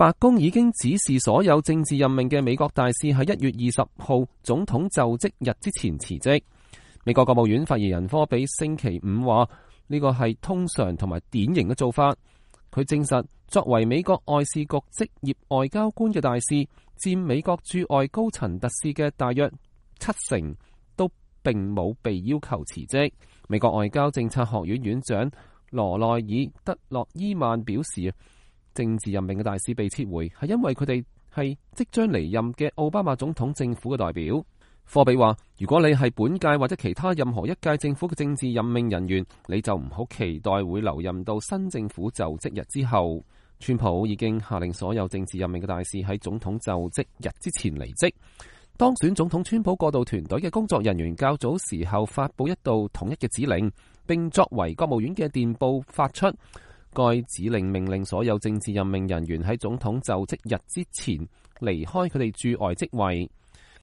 白宮已經指示所有政治任命嘅美國大使喺1月20號總統就職日之前辭職。美國國務院發言人科比星期五話，呢個係通常同埋典型嘅做法。佢證實，作為美國外事局職業外交官嘅大使，佔美國駐外高層特使嘅大約70%，都並冇被要求辭職。美國外交政策學院院長羅內爾德洛伊曼表示，政治任命嘅大使被撤回係因為佢哋係即將離任嘅奧巴馬總統政府嘅代表。科比話，如果你係本屆或者其他任何一屆政府嘅政治任命人員，你就唔好期待會留任到新政府就職日之後。川普已經下令所有政治任命嘅大使喺總統就職日之前離職。當選總統川普過渡團隊嘅工作人員較早時候發佈一道統一嘅指令，並作為國務院嘅電報發出。該指令命令所有政治任命人員喺總統就職日之前離開佢哋駐外職位。